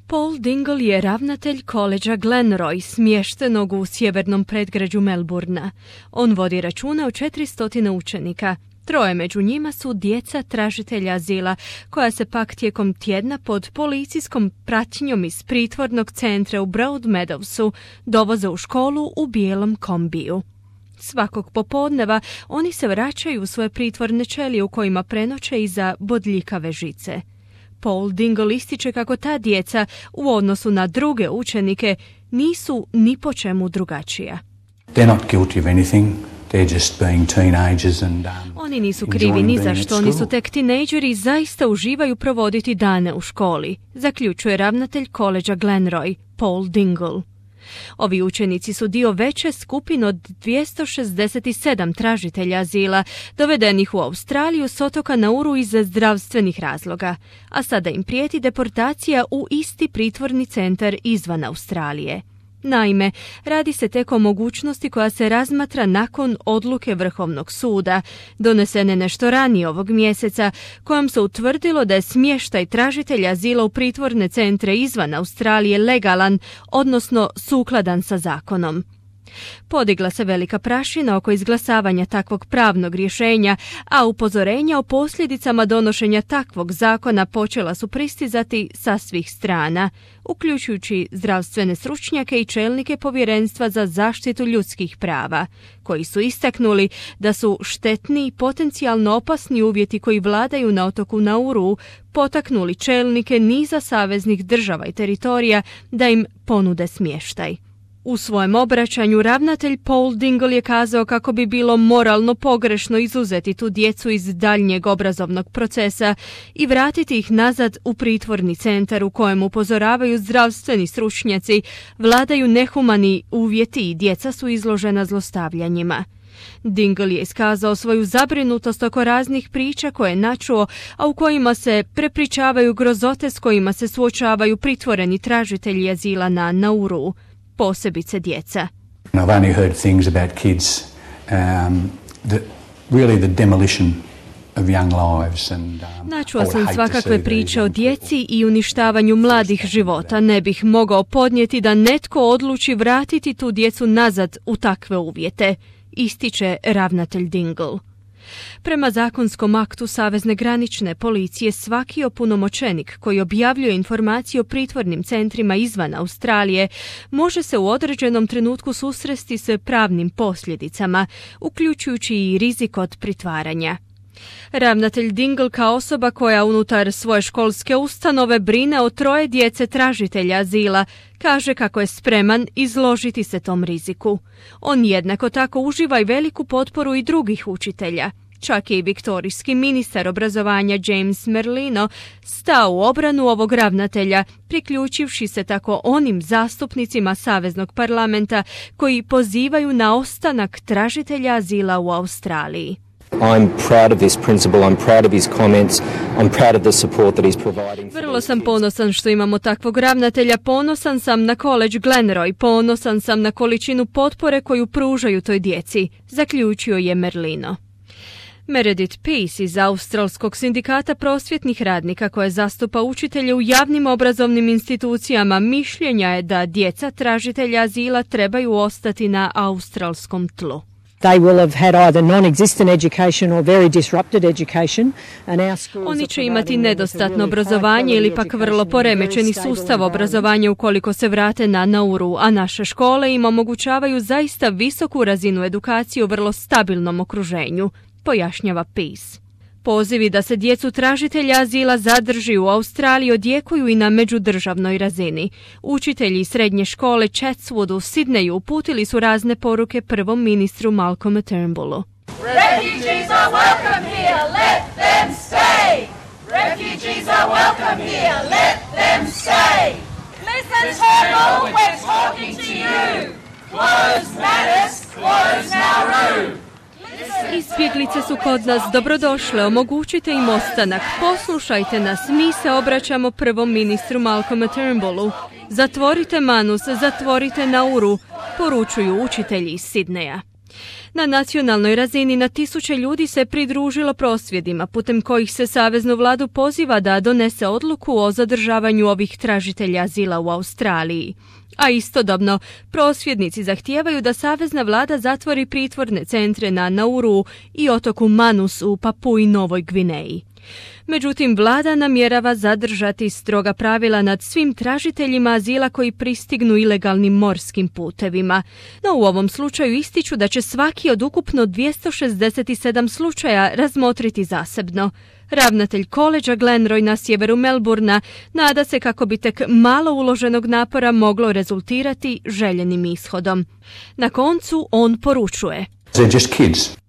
Paul Dingle je ravnatelj koledža Glenroy, smještenog u sjevernom predgrađu Melbourna. On vodi računa o 400 učenika. 3 među njima su djeca tražitelja azila, koja se pak tijekom tjedna pod policijskom pratnjom iz pritvornog centra u Broadmeadowsu dovoze u školu u bijelom kombiju. Svakog popodneva oni se vraćaju u svoje pritvorne ćelije u kojima prenoće iza bodljikave žice. Paul Dingle ističe kako ta djeca, u odnosu na druge učenike, nisu ni po čemu drugačija. They're not guilty of anything. They're just being teenagers and Oni nisu krivi ni za što, oni su tek tinejdžeri i zaista uživaju provoditi dane u školi, zaključuje ravnatelj koledža Glenroy, Paul Dingle. Ovi učenici su dio veće skupine od 267 tražitelja azila, dovedenih u Australiju s otoka Nauru iz zdravstvenih razloga, a sada im prijeti deportacija u isti pritvorni centar izvan Australije. Naime, radi se tek o mogućnosti koja se razmatra nakon odluke Vrhovnog suda, donesene nešto ranije ovog mjeseca, kojom se utvrdilo da je smještaj tražitelja azila u pritvorne centre izvan Australije legalan, odnosno sukladan sa zakonom. Podigla se velika prašina oko izglasavanja takvog pravnog rješenja, a upozorenja o posljedicama donošenja takvog zakona počela su pristizati sa svih strana, uključujući zdravstvene stručnjake i čelnike Povjerenstva za zaštitu ljudskih prava, koji su istaknuli da su štetni i potencijalno opasni uvjeti koji vladaju na otoku Nauru potaknuli čelnike niza saveznih država i teritorija da im ponude smještaj. U svojem obraćanju ravnatelj Paul Dingle je kazao kako bi bilo moralno pogrešno izuzeti tu djecu iz daljnjeg obrazovnog procesa i vratiti ih nazad u pritvorni centar u kojem upozoravaju zdravstveni stručnjaci, vladaju nehumani uvjeti i djeca su izložena zlostavljanjima. Dingle je iskazao svoju zabrinutost oko raznih priča koje je načuo, a u kojima se prepričavaju grozote s kojima se suočavaju pritvoreni tražitelji azila na Nauru, posebice djeca. I've only heard things about kids, really the demolition of young lives. Načuo sam svakakve priče o djeci i uništavanju mladih života. Ne bih mogao podnijeti da netko odluči vratiti tu djecu nazad u takve uvjete, ističe ravnatelj Dingle. Prema zakonskom aktu Savezne granične policije, svaki opunomoćenik koji objavljuje informacije o pritvornim centrima izvan Australije može se u određenom trenutku susresti s pravnim posljedicama, uključujući i rizik od pritvaranja. Ravnatelj Dingle, kao osoba koja unutar svoje školske ustanove brine o 3 djece tražitelja azila, kaže kako je spreman izložiti se tom riziku. On jednako tako uživa i veliku potporu i drugih učitelja. Čak je i viktorijski ministar obrazovanja James Merlino stao u obranu ovog ravnatelja, priključivši se tako onim zastupnicima Saveznog parlamenta koji pozivaju na ostanak tražitelja azila u Australiji. I'm proud of this principle, I'm proud of his comments, I'm proud of the support that he's providing. Vrlo sam ponosan što imamo takvog ravnatelja, ponosan sam na koledž Glenroy, ponosan sam na količinu potpore koju pružaju toj djeci, zaključio je Merlino. Meredith Peace iz Australskog sindikata prosvjetnih radnika koje zastupa učitelje u javnim obrazovnim institucijama mišljenja je da djeca tražitelja azila trebaju ostati na australskom tlu. They will have had either non-existent education or very disrupted education. Oni će imati nedostatno obrazovanje ili pak vrlo poremećeni sustav obrazovanja ukoliko se vrate na Nauru, a naše škole im omogućavaju zaista visoku razinu edukacije u vrlo stabilnom okruženju, pojašnjava Peace. Pozivi da se djecu tražitelja azila zadrži u Australiji odjekuju i na međudržavnoj razini. Učitelji srednje škole Chatswood u Sidneju uputili su razne poruke prvom ministru Malcolmu Turnbullu. Refugees are welcome here, let them stay! Refugees are welcome here, let them stay! Listen Turnbull, we're talking to you! Close Manus, close Nauru! Izbjeglice su kod nas dobrodošle, omogućite im ostanak. Poslušajte nas, mi se obraćamo prvom ministru Malcolmu Turnbullu. Zatvorite Manus, zatvorite Nauru, poručuju učitelji iz Sidneja. Na nacionalnoj razini na tisuće ljudi se pridružilo prosvjedima, putem kojih se saveznu vladu poziva da donese odluku o zadržavanju ovih tražitelja azila u Australiji. A istodobno, prosvjednici zahtijevaju da savezna vlada zatvori pritvorne centre na Nauru i otoku Manus u Papui Novoj Gvineji. Međutim, vlada namjerava zadržati stroga pravila nad svim tražiteljima azila koji pristignu ilegalnim morskim putevima. No u ovom slučaju ističu da će svaki od ukupno 267 slučaja razmotriti zasebno. Ravnatelj koledža Glenroy na sjeveru Melbourna nada se kako bi tek malo uloženog napora moglo rezultirati željenim ishodom. Na koncu on poručuje: They're just kids.